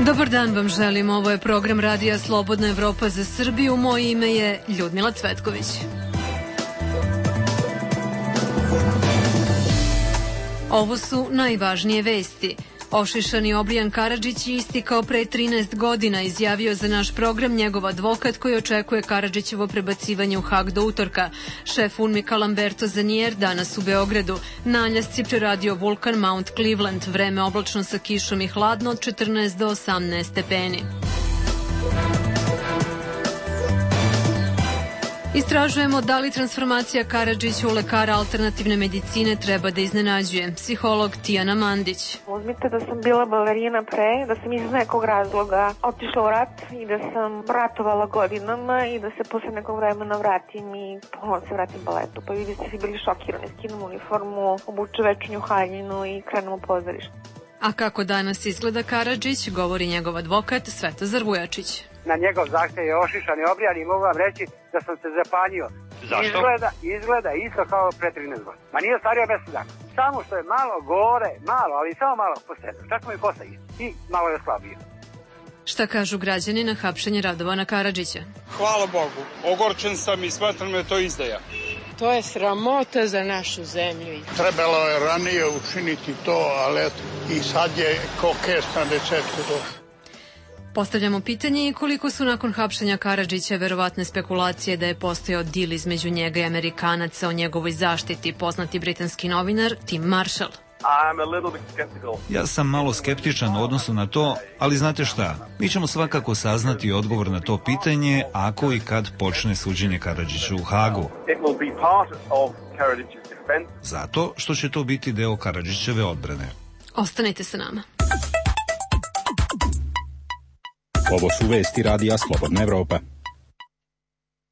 Dobar dan vam želim, ovo je program Radija Slobodna Evropa za Srbiju, moje ime je Ljudmila Cvetković. Ovo su najvažnije vesti. Ošišani Obrijan Karadžić je istikao pre 13 godina, izjavio za naš program njegov advokat koji očekuje Karadžićevo prebacivanje u Hag do utorka. Šef UNMIK-a Lamberto Zanier danas u Beogradu. Na Aljasci preradio vulkan Mount Cleveland, vreme oblačno sa kišom i hladno od 14 do 18 stepeni. Istražujemo da li transformacija Karadžića u lekara alternativne medicine treba da iznenađuje. Psiholog Tijana Mandić. Uzmite da sam bila balerina pre, da sam iz nekog razloga otišla u rat i da sam ratovala godinama i da se posle nekog vremena vratim i ponovno se vratim baletu. Pa vi biste svi bili šokirani, skinem uniformu, obuče večernju haljinu i krenem u pozorište. A kako danas izgleda Karadžić, govori njegov advokat Svetozar Vujačić. Na njegov zahtev je ošišan i obrijan i mogu vam reći da sam se zapanjio. Zašto? Izgleda isto kao pre 13 godina. Ma nije stario 10 dana. Samo što je malo gore, malo, ali samo malo posedno. Čak mu i kosa isto. I malo je slabio. Šta kažu građani na hapšenje Radovana Karadžića? Hvala Bogu. Ogorčen sam i smatram da je to izdaja. To je sramota za našu zemlju. Trebalo je ranije učiniti to, ali i sad je ko kest na receptu došlo. Postavljamo pitanje i koliko su nakon hapšenja Karadžića verovatne spekulacije da je postojao dil između njega i Amerikanaca o njegovoj zaštiti, poznati britanski novinar Tim Marshall. Ja sam malo skeptičan u odnosu na to, ali znate šta, mi ćemo svakako saznati odgovor na to pitanje ako i kad počne suđenje Karadžiću u Hagu. Zato što će to biti deo Karadžićeve odbrane. Ostanite sa nama. Ovo su vesti Radija Slobodna Evropa.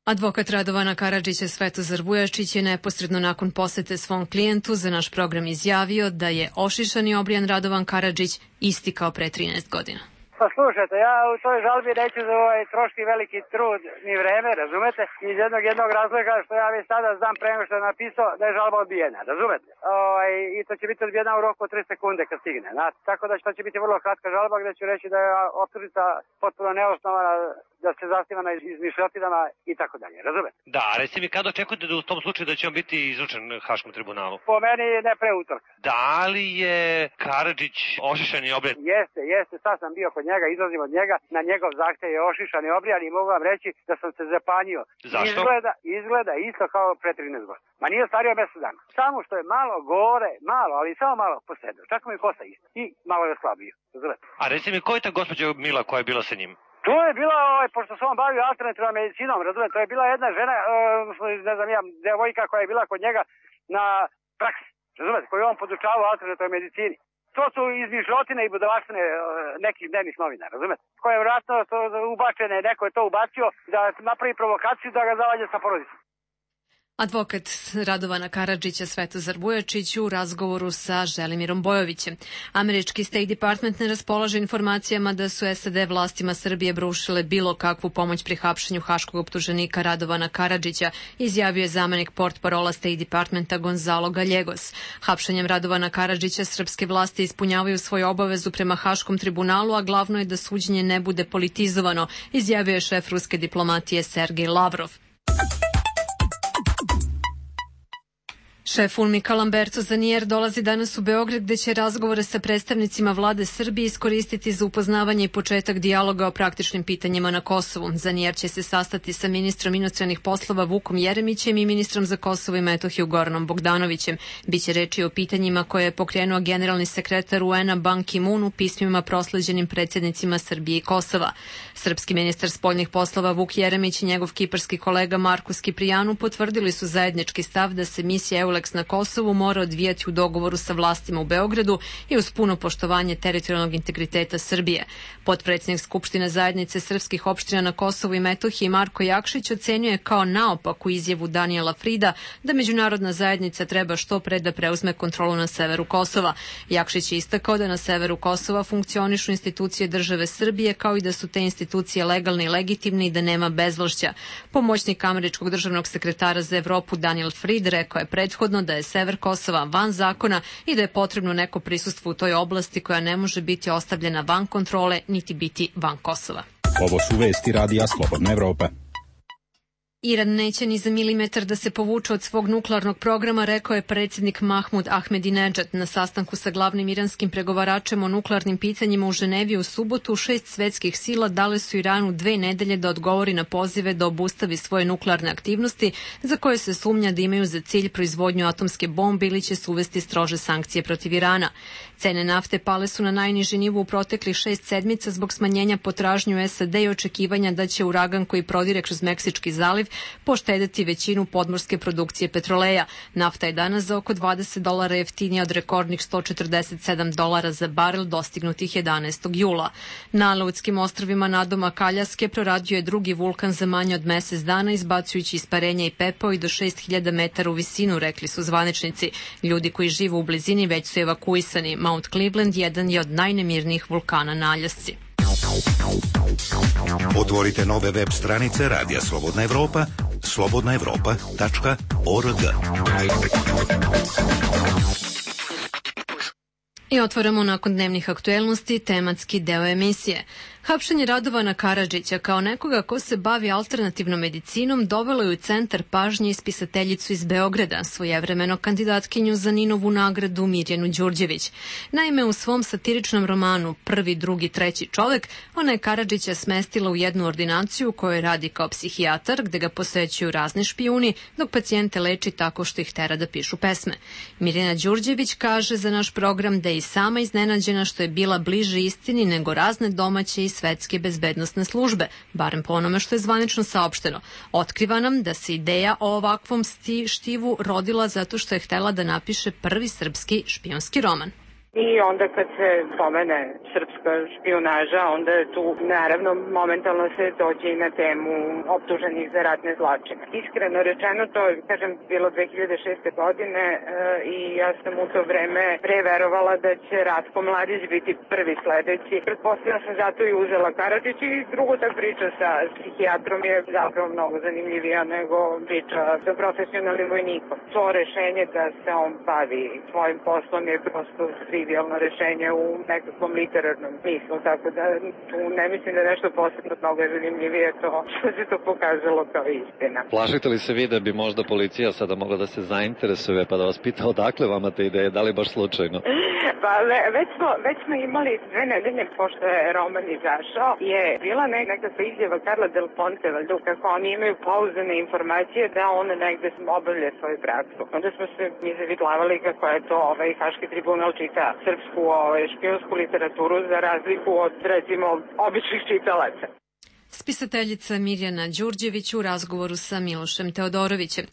Advokat Radovana Karadžića Svetozar Vujačić je neposredno nakon posete svom klijentu za naš program izjavio da je ošišani Obrijan Radovan Karadžić isti kao pre 13 godina. Pa slušajte, ja u toj žalbi neću za troški veliki trud ni vreme, razumete? Iz jednog razloga što ja već sada znam pre nego što je napisao da je žalba odbijena, razumete? I to će biti odbijena u roku od 3 sekunde kad stigne. Tako da to će biti vrlo kratka žalba gde ću reći da je optužnica potpuno neosnovana, da se zasniva na izmišljotinama i tako dalje, razumete? Da, reci mi kada očekujete da u tom slučaju da će on biti izručen Haškom tribunalu? Po meni ne pre utorka. Da li je Karadžić ošišan i obrijan? Jeste, sad sam bio kod njega, izlazim od njega, na njegov zahtev je ošišan i obrijan i mogu vam reći da sam se zapanjio. Zašto? Izgleda isto kao pre 13 godina. Ma nije stario 10 dana. Samo što je malo gore, malo, ali samo malo posedno. Čak mu i kosa isto. I malo je slabio. Razumete? A reci mi, ko je ta gospođa Mila koja je bila sa njim? To je bila, pošto se on bavio alternativnom medicinom, razumete, to je bila jedna žena, ne znam ja, devojka koja je bila kod njega na praksi, razumete, koju on podučavao alternativnoj medicini. To su izmišljotine i budalaštine nekih dnevnih novina, razumete? Koje je vjerojatno ubačene, neko je to ubacio da napravi provokaciju da ga zavadje sa porodicom. Advokat Radovana Karadžića Svetozar Vujačić u razgovoru sa Želimirom Bojovićem. Američki State Department ne raspolaže informacijama da su SAD vlastima Srbije brušile bilo kakvu pomoć pri hapšenju haškog optuženika Radovana Karadžića, izjavio je zamenik portparola State Departmenta Gonzalo Gallegos. Hapšenjem Radovana Karadžića srpske vlasti ispunjavaju svoju obavezu prema Haškom tribunalu, a glavno je da suđenje ne bude politizovano, izjavio je šef ruske diplomatije Sergej Lavrov. Šef UNMIK-a Lamberto Zanier dolazi danas u Beograd gde će razgovore sa predstavnicima vlade Srbije iskoristiti za upoznavanje i početak dijaloga o praktičnim pitanjima na Kosovu. Zanier će se sastati sa ministrom inostranih poslova Vukom Jeremićem i ministrom za Kosovo i Metohiju Goranom Bogdanovićem. Biće reči o pitanjima koje je pokrenuo generalni sekretar UN-a Ban Ki-moon u pismima prosleđenim predsjednicima Srbije i Kosova. Srpski ministar spoljnih poslova Vuk Jeremić i njegov kiparski kolega Markus Kiprijanu potvrdili su zajednički stav da se misija EULEX na Kosovu mora odvijati u dogovoru sa vlastima u Beogradu i uz puno poštovanje teritorijalnog integriteta Srbije. Potpredsjednik Skupštine zajednice srpskih opština na Kosovu i Metohiji Marko Jakšić ocenjuje kao naopaku izjavu Danijela Frida da međunarodna zajednica treba što pre da preuzme kontrolu na severu Kosova. Jakšić je istakao da na severu Kosova funkcionišu institucije države Srbije kao i da su te institucije legalne i legitimne i da nema bezvlašća. Pomoćnik američkog državnog sekretara za Evropu Daniel Fried rekao je prethodno prethodno da je sever Kosova van zakona i da je potrebno neko prisustvo u toj oblasti koja ne može biti ostavljena van kontrole niti biti van Kosova. Ovo su vesti radija Slobodna Evropa. Iran neće ni za milimetar da se povuče od svog nuklearnog programa, rekao je predsjednik Mahmud Ahmedinedžad na sastanku sa glavnim iranskim pregovaračem o nuklearnim pitanjima u Ženevi u subotu. 6 svetskih sila dale su Iranu 2 nedelje da odgovori na pozive da obustavi svoje nuklearne aktivnosti za koje se sumnja da imaju za cilj proizvodnju atomske bombe ili će se uvesti strože sankcije protiv Irana. Cene nafte pale su na najniži nivo u proteklih 6 sedmica zbog smanjenja potražnje u SAD i očekivanja da će uragan koji prodire kroz Meksički zaliv poštedeti većinu podmorske produkcije petroleja. Nafta je danas za oko $20 jeftinija od rekordnih $147 za barel dostignutih 11. jula. Na Aleutinskim ostrvima nadomak Aljaske proradio je drugi vulkan za manje od mesec dana, izbacujući isparenja i pepeo i do 6000 metara u visinu, rekli su zvaničnici. Ljudi koji žive u blizini već su evakuisani. Mount Cleveland jedan je od najnemirnijih vulkana na Aljasci. Otvorite nove web stranice Radija Slobodna Evropa, slobodnaevropa.org. I otvaramo nakon dnevnih aktuelnosti tematski deo emisije. Hapšenje Radovana Karadžića kao nekoga ko se bavi alternativnom medicinom dovelo je u centar pažnje ispisateljicu iz Beograda, svojevremeno kandidatkinju za Ninovu nagradu Mirjanu Đurđević. Naime, u svom satiričnom romanu Prvi, drugi, treći čovek, ona je Karadžića smestila u jednu ordinaciju u kojoj radi kao psihijatar, gde ga posećuju razni špijuni, dok pacijente leči tako što ih tera da pišu pesme. Mirjana Đurđević kaže za naš program da je i sama iznenađena što je bila bliže istini nego razne domaće i svetske bezbednosne službe, barem po onome što je zvanično saopšteno. Otkriva nam da se ideja o ovakvom štivu rodila zato što je htela da napiše prvi srpski špijunski roman. I onda kad se spomene srpska špijunaža, onda je tu naravno momentalno se dođe i na temu optuženih za ratne zločine. Iskreno rečeno, to je, kažem, bilo 2006. godine i ja sam u to vreme preverovala da će Ratko Mladić biti prvi sledeći. Pretpostavljam sam zato i uzela Karadžić i drugo ta priča sa psihijatrom je zapravo mnogo zanimljivija nego priča sa profesionalnim vojnikom. To rešenje da se on bavi svojim poslom je prosto trivijalno rešenje u nekakvom literarnom smislu, tako da tu ne mislim da je nešto posebno mnogo zanimljivije to što se to pokazalo kao istina. Plašite li se vi da bi možda policija sada mogla da se zainteresuje pa da vas pita odakle vama te ideje, da li baš slučajno? Pa već smo imali 2 nedelje pošto je roman izašao, je bila nekakva izjava Karla Del Ponte, valjda kako oni imaju pouzdane informacije da on negde obavlja svoju praksu. Onda smo se mi zavitlavali kako je to Haški tribunal čita srpsku špijunsku literaturu za razliku od, recimo, običnih čitalaca. Spisateljica Mirjana Đurđević u razgovoru sa Milošem Teodorovićem.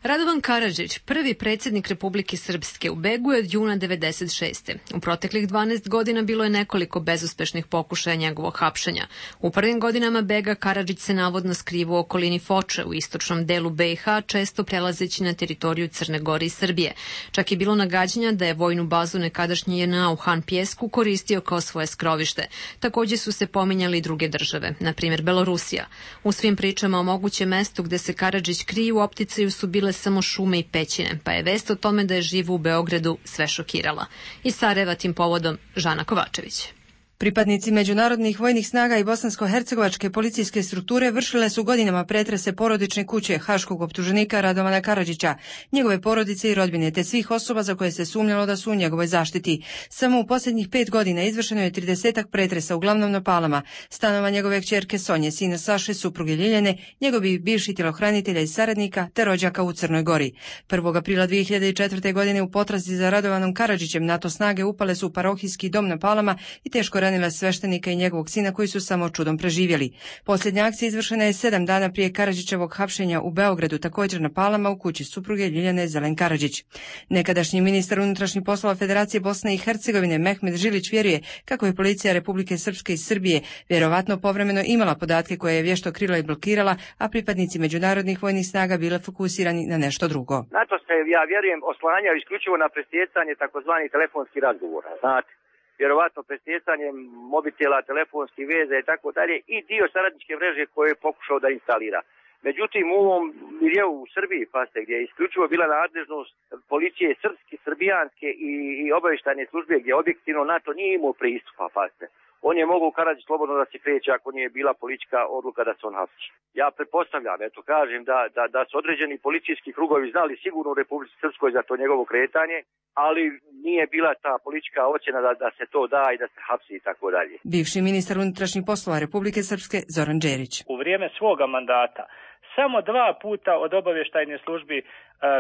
Radovan Karadžić, prvi predsjednik Republike Srpske, u begu je od juna 1996. U proteklih 12 godina bilo je nekoliko bezuspešnih pokušaja njegovog hapšenja. U prvim godinama bega Karadžić se navodno skrivao u okolini Foče u istočnom delu BiH, često prelazeći na teritoriju Crne Gore i Srbije. Čak je bilo nagađanja da je vojnu bazu nekadašnje JNA u Han Pjesku koristio kao svoje skrovište. Također su se pominjali i druge države, na primjer Belorusija. U svim pričama o mogućem mestu gde se Karadžić krije u opticaju su bile samo šume i pećine, pa je vest o tome da je živ u Beogradu sve šokirala. Iz Sarajeva tim povodom Žana Kovačević. Pripadnici međunarodnih vojnih snaga i bosansko-hercegovačke policijske strukture vršile su godinama pretrese porodične kuće haškog optuženika Radovana Karadžića, njegove porodice i rodbine, te svih osoba za koje se sumnjalo da su u njegovoj zaštiti. Samo u posljednjih 5 godina izvršeno je 30 pretresa, uglavnom na Palama, stanova njegove kćerke Sonje, sina Saše, supruge Ljiljane, njegovih bivših tjelohranitelja i saradnika, te rođaka u Crnoj Gori. 1. aprila 2004. godine u potrazi za Radovanom Karadžićem NATO snage upale su u parohijski dom na Palama i teško ranile sveštenika i njegovog sina koji su samo čudom preživjeli. Posljednja akcija izvršena je 7 dana prije Karadžićevog hapšenja u Beogradu, također na Palama u kući supruge Ljiljane Zelen Karadžić. Nekadašnji ministar unutrašnjih poslova Federacije Bosne i Hercegovine Mehmet Žilić vjeruje kako je policija Republike Srpske i Srbije vjerovatno povremeno imala podatke koje je vješto krila i blokirala, a pripadnici međunarodnih vojnih snaga bile fokusirani na nešto drugo. NATO se, ja vjerujem, oslanjao isključivo na presjecanje takozvanih telefonskih razgovora, znate. Vjerovatno presjecanjem mobitela, telefonskih veza i tako dalje i dio saradničke mreže koje je pokušao da instalira. Međutim, u ovom miljeu u Srbiji, pasite, gdje je isključivo bila nadležnost policije srpske, srbijanske i obavještajne službe, gdje objektivno NATO nije imao pristupa, pasite. On je mogao u Karadžić slobodno da se kreće ako nije bila politička odluka da se on hapsi. Ja pretpostavljam, kažem da su određeni policijski krugovi znali sigurno u Republici Srpskoj za to njegovo kretanje, ali nije bila ta politička ocjena da se to da i da se hapsi i tako dalje. Bivši ministar unutrašnjih poslova Republike Srpske Zoran Đerić. U vrijeme svoga mandata samo 2 puta od obavještajne službi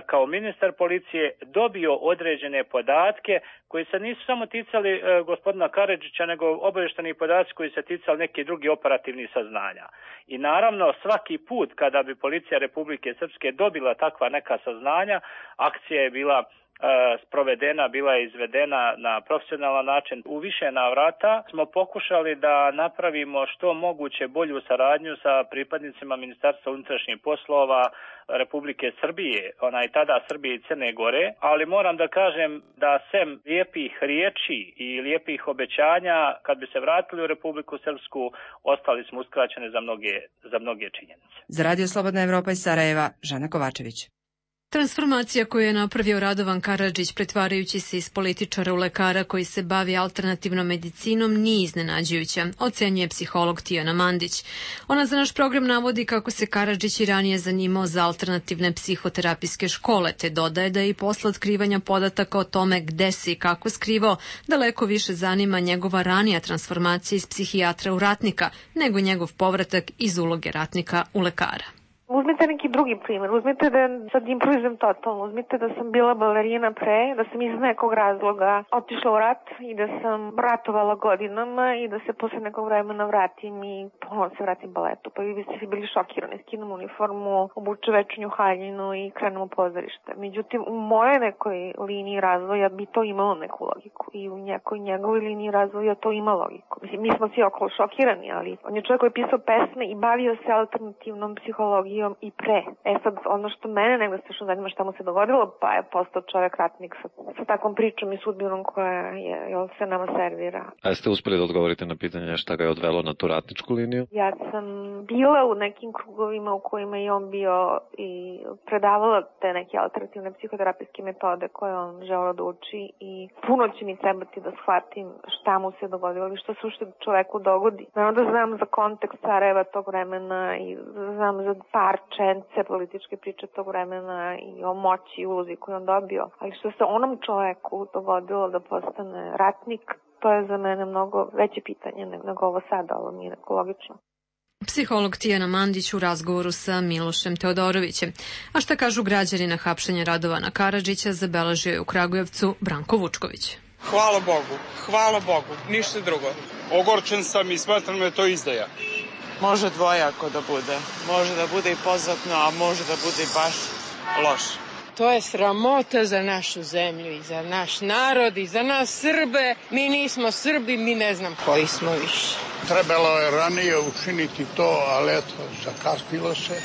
kao ministar policije dobio određene podatke koji se nisu samo ticali gospodina Karadžića, nego obavještajni podaci koji se ticali neki drugi operativni saznanja. I naravno svaki put kada bi policija Republike Srpske dobila takva neka saznanja, akcija je bila sprovedena, bila je izvedena na profesionalan način. U više navrata smo pokušali da napravimo što moguće bolju saradnju sa pripadnicima Ministarstva unutrašnjih poslova Republike Srbije, tada Srbije i Crne Gore, ali moram da kažem da sem lijepih riječi i lijepih obećanja, kad bi se vratili u Republiku Srpsku, ostali smo uskraćeni za mnoge činjenice. Za Radio Slobodna Evropa iz Sarajeva, Žana Kovačević. Transformacija koju je napravio Radovan Karadžić pretvarajući se iz političara u lekara koji se bavi alternativnom medicinom nije iznenađujuća, ocenjuje psiholog Tijana Mandić. Ona za naš program navodi kako se Karadžić i ranije zanimao za alternativne psihoterapijske škole, te dodaje da je i posle otkrivanja podataka o tome gde se i kako skrivao, daleko više zanima njegova ranija transformacija iz psihijatra u ratnika, nego njegov povratak iz uloge ratnika u lekara. Uzmite neki drugi primjer, uzmite da sad improvizujem totalno, uzmite da sam bila balerina pre, da sam iz nekog razloga otišla u rat i da sam ratovala godinama i da se posle nekog vremena vratim i ponovno se vratim baletu. Pa vi biste svi bili šokirani, skinem uniformu, obuče večernju haljinu i krenem u pozorište. Međutim, u mojoj nekoj liniji razvoja bi to imalo neku logiku i u nekoj njegovoj liniji razvoja to ima logiku. Mislim, mi smo svi okolo šokirani, ali on je čovjek koji je pisao pesme i bavio se alternativnom psihologijom i pre. Sad, ono što mene negdje strašno zanima šta mu se dogodilo, pa je postao čovjek ratnik sa takvom pričom i sudbinom koja se nama servira. A jeste uspjeli da odgovorite na pitanje šta ga je odvelo na tu ratničku liniju? Ja sam bila u nekim krugovima u kojima je on bio i predavala te neke alternativne psihoterapijske metode koje on želeo da uči i puno će mi trebati da shvatim šta mu se dogodilo i što se ušte čoveku dogodi. Naravno da znam za kontekst Sarajeva tog vremena i znam za parčence političke priče tog vremena i o moći i ulozi koju on dobio. Ali što se onom čoveku dogodilo da postane ratnik, to je za mene mnogo veće pitanje nego ovo sada, ovo mi je neko logično. Psiholog Tijana Mandić u razgovoru sa Milošem Teodorovićem. A šta kažu građani na hapšenje Radovana Karadžića, zabeležio je u Kragujevcu Branko Vučković. Hvala Bogu, ništa drugo. Ogorčen sam i smatram da je to izdaja. Može dvojako da bude. Može da bude i pozatno, a može da bude i baš loše. To je sramota za našu zemlju i za naš narod i za nas Srbe. Mi nismo Srbi, mi ne znam koji smo više. Trebalo je ranije učiniti to, ali eto, zakasnilo se,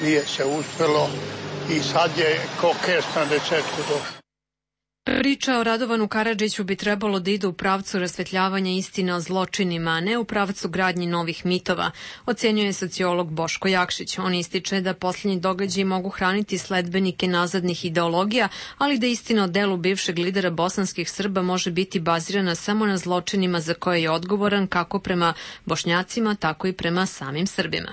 nije se uspjelo i sad je ko kest na dečetku došlo. Priča o Radovanu Karadžiću bi trebalo da ide u pravcu rasvetljavanja istine o zločinima, a ne u pravcu gradnji novih mitova, ocenjuje sociolog Boško Jakšić. On ističe da posljednji događaji mogu hraniti sledbenike nazadnih ideologija, ali da istina o delu bivšeg lidera bosanskih Srba može biti bazirana samo na zločinima za koje je odgovoran kako prema Bošnjacima, tako i prema samim Srbima.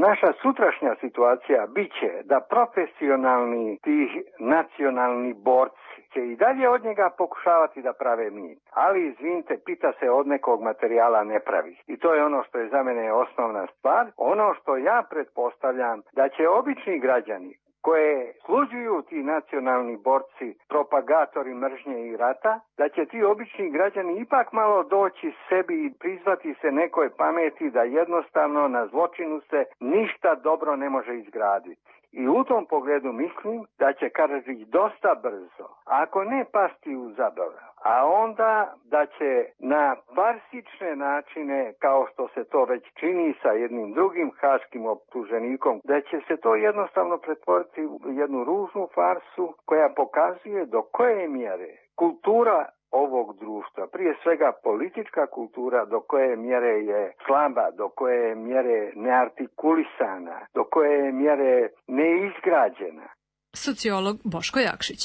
Naša sutrašnja situacija biće da profesionalni tih nacionalni borci će i dalje od njega pokušavati da prave mit. Ali izvinite, pita se od nekog materijala ne pravi. I to je ono što je za mene osnovna stvar. Ono što ja pretpostavljam da će obični građani koje služuju ti nacionalni borci, propagatori mržnje i rata, da će ti obični građani ipak malo doći sebi i prizvati se nekoj pameti da jednostavno na zločinu se ništa dobro ne može izgraditi. I u tom pogledu mislim da će Karadžić dosta brzo, ako ne pasti u zaborav, a onda da će na farsične načine, kao što se to već čini sa jednim drugim haškim optuženikom, da će se to jednostavno pretvoriti u jednu ružnu farsu koja pokazuje do koje mjere kultura ovog društva. Prije svega politička kultura do koje mjere je slaba, do koje mjere neartikulisana, do koje mjere neizgrađena. Sociolog Boško Jakšić.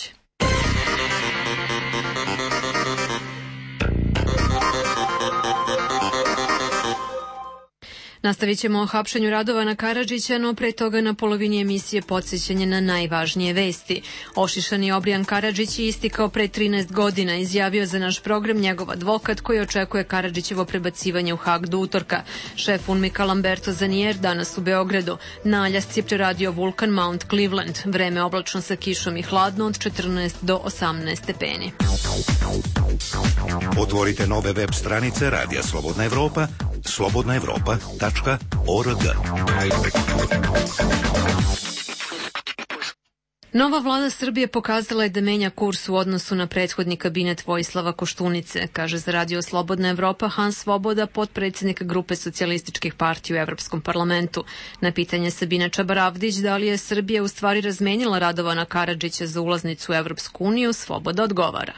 Nastavit ćemo o hapšenju Radovana Karadžića, no pre toga na polovini emisije podsjećanje na najvažnije vesti. Ošišani Obrijan Karadžić je istikao pre 13 godina, izjavio za naš program njegov advokat koji očekuje Karadžićevo prebacivanje u Hag do utorka. Šef UNMIK-a Lamberto Zanier danas u Beogradu. Na Aljasci preradio vulkan Mount Cleveland. Vreme oblačno sa kišom i hladno od 14 do 18 stepeni. Otvorite nove web stranice Radija Slobodna Evropa, slobodnaevropa.org. Nova vlada Srbije pokazala je da menja kurs u odnosu na prethodni kabinet Vojislava Koštunice, kaže za Radio Slobodna Evropa Hans Svoboda, potpredsjednik grupe socijalističkih partija u Evropskom parlamentu. Na pitanje Sabine Čabaravdić da li je Srbija u stvari razmenila Radovana Karadžića za ulaznicu u Evropsku uniju, Svoboda odgovara.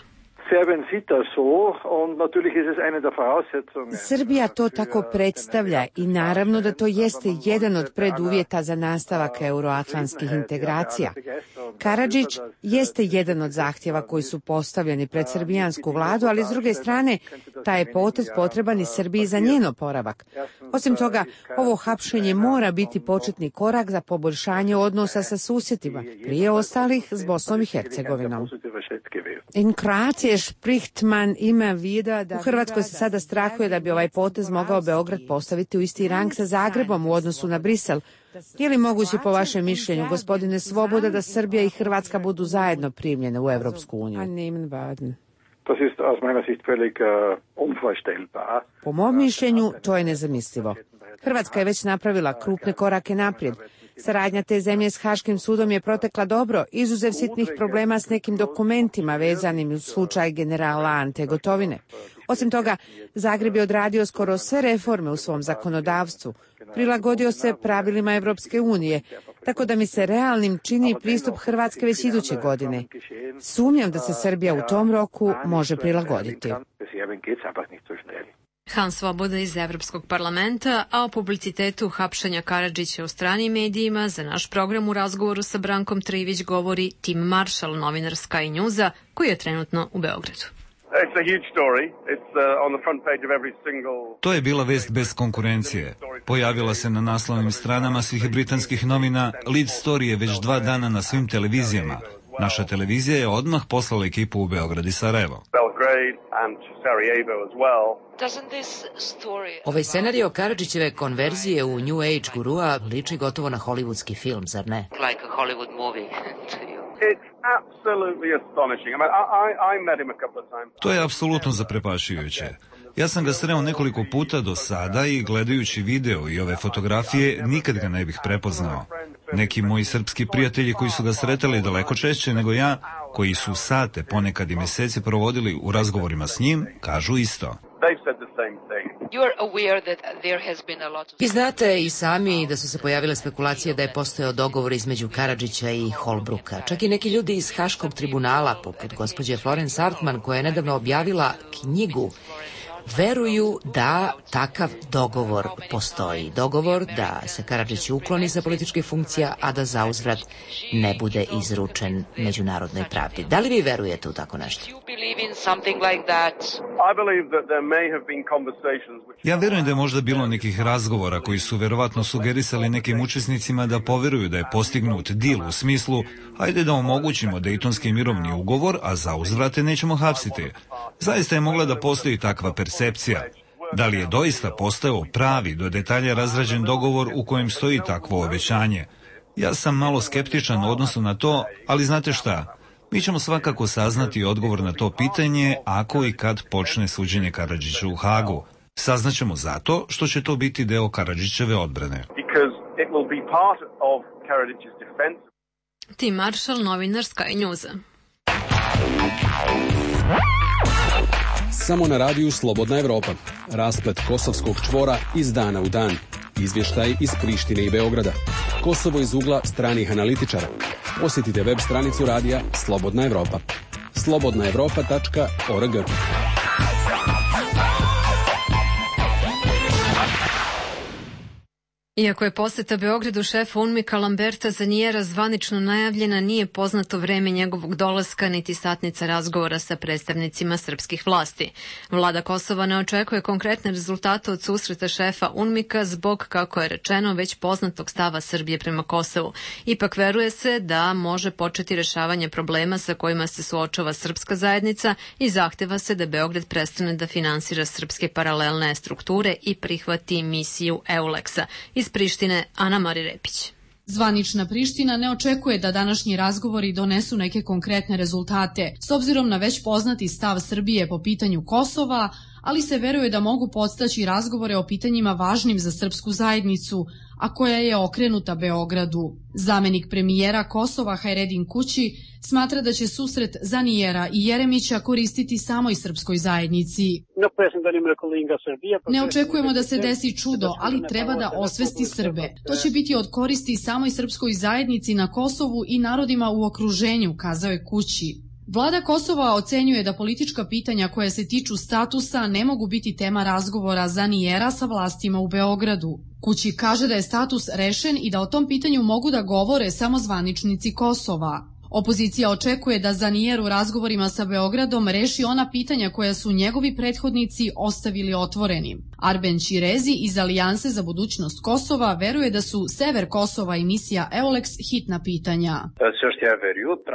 Srbija to tako predstavlja i naravno da to jeste jedan od preduvjeta za nastavak euroatlantskih integracija. Karadžić jeste jedan od zahtjeva koji su postavljeni pred srbijansku vladu, ali s druge strane taj je potez potreban i Srbiji za njen oporavak. Osim toga, ovo hapšenje mora biti početni korak za poboljšanje odnosa sa susjedima, prije ostalih s Bosnom i Hercegovinom. In Kroatije spricht man immer wieder da... U Hrvatskoj se sada strahuje da bi ovaj potez mogao Beograd postaviti u isti rang sa Zagrebom u odnosu na Brisel. Je li moguće po vašem mišljenju, gospodine Svoboda, da Srbija i Hrvatska budu zajedno primljene u Evropsku uniju? Po mom mišljenju, to je nezamislivo. Hrvatska je već napravila krupne korake naprijed. Saradnja te zemlje s Haškim sudom je protekla dobro, izuzev sitnih problema s nekim dokumentima vezanim uz slučaj generala Ante Gotovine. Osim toga, Zagreb je odradio skoro sve reforme u svom zakonodavstvu, prilagodio se pravilima Evropske unije, tako da mi se realnim čini pristup Hrvatske već iduće godine. Sumnjam da se Srbija u tom roku može prilagoditi. Hans Svoboda iz Evropskog parlamenta, a o publicitetu hapšenja Karadžića u stranim medijima za naš program u razgovoru sa Brankom Trivić govori Tim Marshall, novinar Sky Newsa, koji je trenutno u Beogradu. To je bila vest bez konkurencije. Pojavila se na naslovnim stranama svih britanskih novina, lead story je već 2 dana na svim televizijama. Naša televizija je odmah poslala ekipu u Beograd i Sarajevo. Ovaj scenario Karadžićeve konverzije u New Age gurua liči gotovo na hollywoodski film, zar ne? Like a Hollywood movie to you. To je apsolutno zaprepašujuće. Ja sam ga sreo nekoliko puta do sada i gledajući video i ove fotografije nikad ga ne bih prepoznao. Neki moji srpski prijatelji koji su ga sretali daleko češće nego ja, koji su sate, ponekad i mesece provodili u razgovorima s njim, kažu isto. Vi znate i sami da su se pojavile spekulacije da je postojao dogovor između Karadžića i Holbrooka. Čak i neki ljudi iz Haškog tribunala, poput gospođe Florence Artman, koja je nedavno objavila knjigu, veruju da takav dogovor postoji. Dogovor da se Karadžić ukloni sa političkih funkcija, a da zauzvrat ne bude izručen međunarodnoj pravdi. Da li vi verujete u tako nešto? Ja verujem da je možda bilo nekih razgovora koji su verovatno sugerisali nekim učesnicima da poveruju da je postignut dil u smislu hajde da omogućimo Dejtonski mirovni ugovor, a za uzvrate nećemo hapsiti. Zaista je mogla da postoji takva percepcija. Da li je doista postao pravi, do detalja razrađen dogovor u kojem stoji takvo obećanje? Ja sam malo skeptičan u odnosu na to, ali znate šta? Mi ćemo svakako saznati odgovor na to pitanje ako i kad počne suđenje Karadžiću u Hagu. Saznaćemo zato što će to biti deo Karadžićeve odbrane. Tim Marshall, novinar Sky Newsa. Samo na radiju Slobodna Evropa. Rasplet kosovskog čvora iz dana u dan. Izvještaj iz Prištine i Beograda. Kosovo iz ugla stranih analitičara. Posjetite web stranicu radija Slobodna Evropa. slobodnaevropa.org. Iako je poseta Beogradu šefa UNMIK-a Lamberta Zanjera zvanično najavljena, nije poznato vreme njegovog dolaska niti satnica razgovora sa predstavnicima srpskih vlasti. Vlada Kosova ne očekuje konkretne rezultate od susreta šefa UNMIK-a zbog, kako je rečeno, već poznatog stava Srbije prema Kosovu. Ipak veruje se da može početi rešavanje problema sa kojima se suočava srpska zajednica i zahteva se da Beograd prestane da finansira srpske paralelne strukture i prihvati misiju EULEX-a. Iz Prištine, Ana Mari Repić. Zvanična Priština ne očekuje da današnji razgovori donesu neke konkretne rezultate, s obzirom na već poznati stav Srbije po pitanju Kosova, ali se veruje da mogu podstaći razgovore o pitanjima važnim za srpsku zajednicu, a koja je okrenuta Beogradu. Zamenik premijera Kosova Hajredin Kući smatra da će susret Zanijera i Jeremića koristiti samoj srpskoj zajednici. Ne očekujemo da se desi čudo, ali treba da osvesti Srbe. To će biti od koristi samoj srpskoj zajednici na Kosovu i narodima u okruženju, kazao je Kući. Vlada Kosova ocenjuje da politička pitanja koja se tiču statusa ne mogu biti tema razgovora Zanijera sa vlastima u Beogradu. Kući kaže da je status rešen i da o tom pitanju mogu da govore samo zvaničnici Kosova. Opozicija očekuje da Zanijer u razgovorima sa Beogradom reši ona pitanja koja su njegovi prethodnici ostavili otvorenim. Arben Ćirezi iz Alijanse za budućnost Kosova veruje da su sever Kosova i misija EULEX hitna pitanja.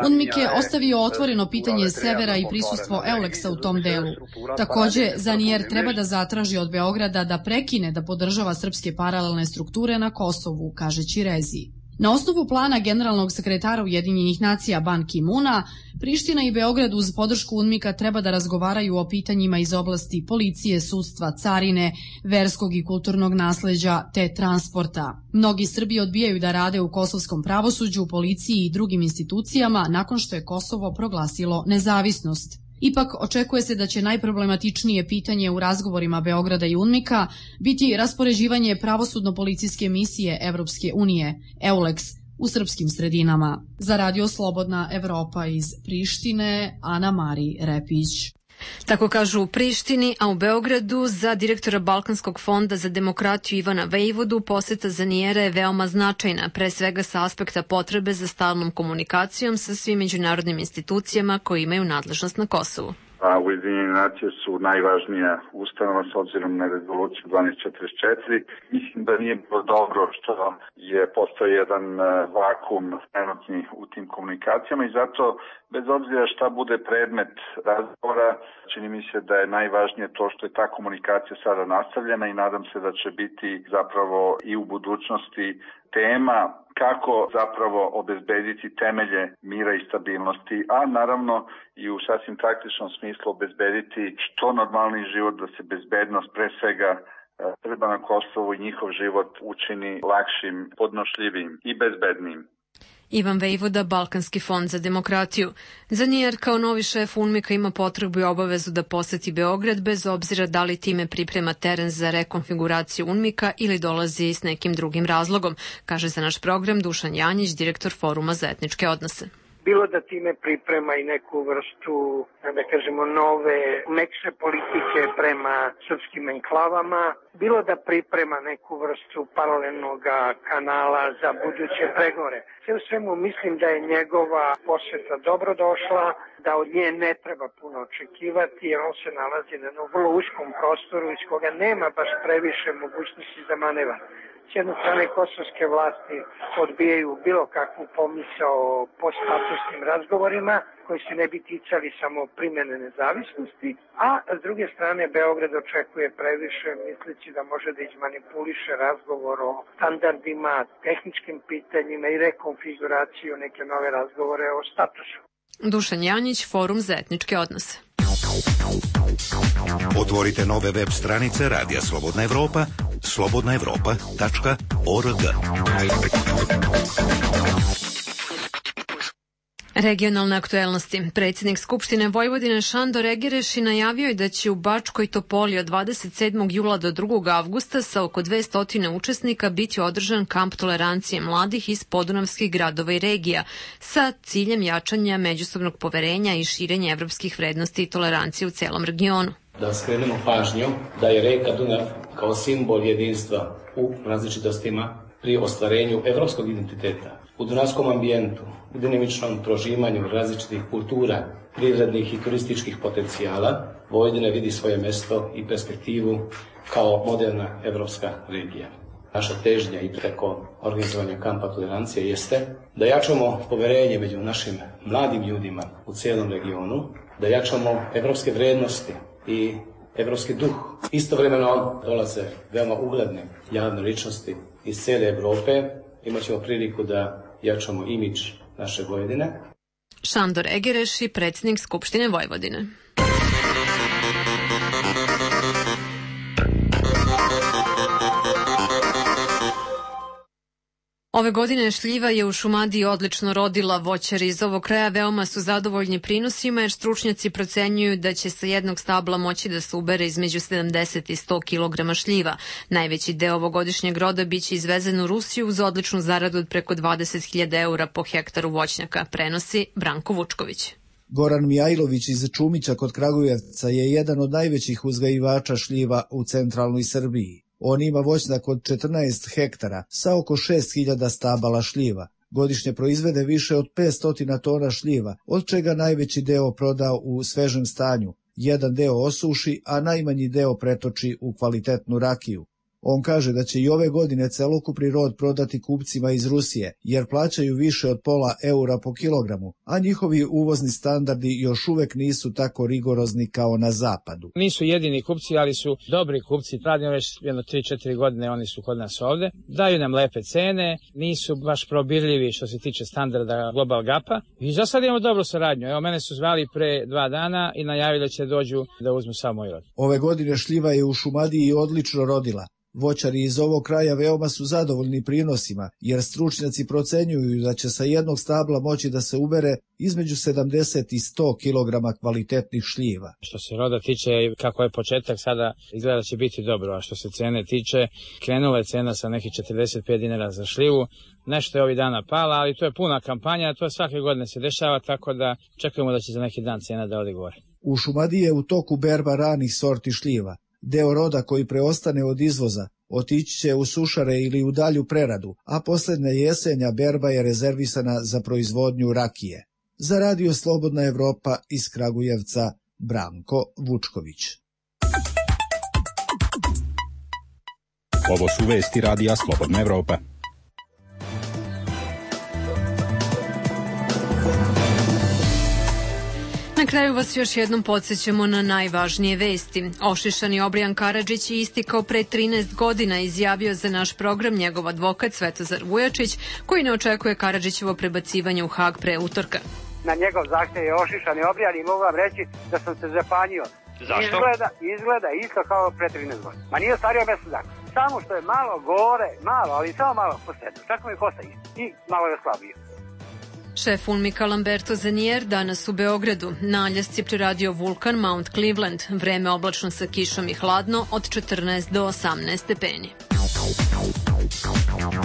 UNMIK je ostavio otvoreno pitanje severa i prisustvo EULEX-a u tom delu. Takođe, Zanijer treba da zatraži od Beograda da prekine da podržava srpske paralelne strukture na Kosovu, kaže Ćirezi. Na osnovu plana generalnog sekretara Ujedinjenih nacija Ban Ki-muna, Priština i Beograd uz podršku UNMIK-a treba da razgovaraju o pitanjima iz oblasti policije, sudstva, carine, verskog i kulturnog nasleđa te transporta. Mnogi Srbi odbijaju da rade u kosovskom pravosuđu, policiji i drugim institucijama nakon što je Kosovo proglasilo nezavisnost. Ipak očekuje se da će najproblematičnije pitanje u razgovorima Beograda i UNMIK-a biti raspoređivanje pravosudno-policijske misije Evropske unije, EULEX, u srpskim sredinama. Za Radio Slobodna Evropa iz Prištine, Ana Mari Repić. Tako kažu u Prištini, a u Beogradu za direktora Balkanskog fonda za demokratiju Ivana Vejvodu poseta Zanijera je veoma značajna, pre svega sa aspekta potrebe za stalnom komunikacijom sa svim međunarodnim institucijama koji imaju nadležnost na Kosovu. Ujedinjene nacije su najvažnija ustanova s obzirom na rezoluciju 1244. Mislim da nije bilo dobro što je postao jedan vakum trenutni u tim komunikacijama i zato, bez obzira šta bude predmet razgovora, čini mi se da je najvažnije to što je ta komunikacija sada nastavljena i nadam se da će biti zapravo i u budućnosti tema kako zapravo obezbediti temelje mira i stabilnosti, a naravno i u sasvim praktičnom smislu obezbediti što normalni život, da se bezbednost pre svega Srba na Kosovu i njihov život učini lakšim, podnošljivim i bezbednim. Ivan Vejvoda, Balkanski fond za demokratiju. Zanijer kao novi šef UNMIK-a ima potrebu i obavezu da poseti Beograd bez obzira da li time priprema teren za rekonfiguraciju UNMIK-a ili dolazi s nekim drugim razlogom, kaže za naš program Dušan Janjić, direktor Foruma za etničke odnose. Bilo da time priprema i neku vrstu, da kažemo, nove, mekše politike prema srpskim enklavama, bilo da priprema neku vrstu paralelnog kanala za buduće pregovore. Sve u svemu mislim da je njegova poseta dobro došla, da od nje ne treba puno očekivati, jer on se nalazi na jednom vrlo uskom prostoru iz koga nema baš previše mogućnosti za manevar. S jedne strane, kosovske vlasti odbijaju bilo kakvu pomisao po statusnim razgovorima koji se ne bi ticali samo primjene nezavisnosti, a s druge strane Beograd očekuje previše misleći da može da izmanipuliše razgovor o standardima, tehničkim pitanjima i rekonfiguraciju neke nove razgovore o statusu. Dušan Janjić, Forum za etničke odnose. Otvorite nove web stranice Radija Slobodna Evropa, slobodnaevropa.org. Regionalne aktuelnosti. Predsjednik Skupštine Vojvodine Šandor Egereši najavio je da će u Bačkoj Topoli od 27. jula do 2. avgusta sa oko 200 učesnika biti održan kamp tolerancije mladih iz podunavskih gradova i regija sa ciljem jačanja međusobnog poverenja i širenja evropskih vrednosti i tolerancije u celom regionu. Da skrenemo pažnju da je reka Dunav kao simbol jedinstva u različitostima pri ostvarenju evropskog identiteta. U dunavskom ambijentu, u dinamičnom prožimanju različitih kultura, privrednih i turističkih potencijala, Vojvodina vidi svoje mesto i perspektivu kao moderna evropska regija. Naša težnja i preko organizovanja kampa tolerancije jeste da jačamo poverenje među našim mladim ljudima u cijelom regionu, da jačamo evropske vrednosti i evropski duh. Istovremeno dolaze veoma ugledne javne ličnosti iz cijele Evrope. Imaćemo priliku da jačamo imidž naše Vojvodine. Šandor Egereši, predsjednik Skupštine Vojvodine. Ove godine šljiva je u Šumadiji odlično rodila. Voćari iz ovog kraja veoma su zadovoljni prinosima jer stručnjaci procenjuju da će sa jednog stabla moći da se ubere između 70 i 100 kg šljiva. Najveći deo ovogodišnjeg roda biće izvezen u Rusiju uz odličnu zaradu od preko 20.000 eura po hektaru voćnjaka, prenosi Branko Vučković. Goran Mijajlović iz Čumića kod Kragujevca je jedan od najvećih uzgajivača šljiva u centralnoj Srbiji. On ima voćnjak od 14 hektara sa oko 6.000 stabala šljiva. Godišnje proizvede više od 500 tona šljiva, od čega najveći deo proda u svežem stanju. Jedan deo osuši, a najmanji deo pretoči u kvalitetnu rakiju. On kaže da će i ove godine celokupni rod prodati kupcima iz Rusije, jer plaćaju više od pola eura po kilogramu, a njihovi uvozni standardi još uvek nisu tako rigorozni kao na zapadu. Nisu jedini kupci, ali su dobri kupci. Radimo već jedno 3-4 godine, oni su kod nas ovde. Daju nam lepe cene, nisu baš probirljivi što se tiče standarda Global Gapa. I za sad imamo dobru saradnju. Evo, mene su zvali pre 2 dana i najavili da će dođu da uzmu samo moj rod. Ove godine šljiva je u Šumadiji odlično rodila. Voćari iz ovog kraja veoma su zadovoljni prinosima, jer stručnjaci procenjuju da će sa jednog stabla moći da se ubere između 70 i 100 kg kvalitetnih šljiva. Što se roda tiče, kako je početak, sada izgleda će biti dobro, a što se cene tiče, krenula je cena sa nekih 45 dinara za šljivu, nešto je ovih dana pala, ali to je puna kampanja, to svake godine se dešava, tako da čekamo da će za neki dan cena da ode gore. U Šumadiji je u toku berba ranih sorti šljiva. Deo roda koji preostane od izvoza otići će u sušare ili u dalju preradu, a posljednja jesenja berba je rezervisana za proizvodnju rakije. Za Radio Slobodna Evropa iz Kragujevca, Branko Vučković. Ovo su vesti Radija Slobodna Evropa. Na kraju vas još jednom podsjećamo na najvažnije vesti. Ošišani Obrijan Karadžić je istikao pre 13 godina, izjavio za naš program njegov advokat Svetozar Vujačić, koji ne očekuje Karadžićevo prebacivanje u Hag pre utorka. Na njegov zahtev je ošišani Obrijan i mogu vam reći da sam se zapanjio. Zašto? Izgleda isto kao pre 13 godina. Ma nije stario mesec dana. Samo što je malo gore, ali samo malo po sredu. Čak mi kosa isto. I malo je slabio. Šef UNMIK-a Lamberto Zanier danas u Beogradu. Na Aljasci preradio vulkan Mount Cleveland. Vreme oblačno sa kišom i hladno od 14 do 18 stepeni.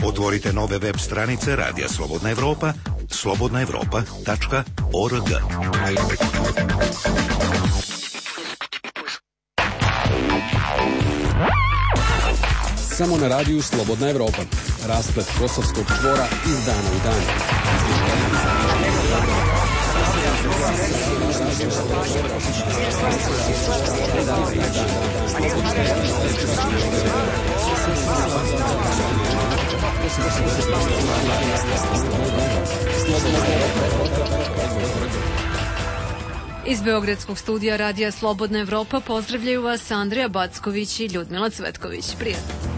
Otvorite nove web stranice Radija Slobodna Evropa, slobodnaevropa.org. Samo na radiju Slobodna Evropa. Rasplet Kosovskog čvora iz dana u dan. Iz Beogradskog studija Radija Slobodna Evropa pozdravljaju vas Andrija Backović i Ljudmila Cvetković. Prijatno.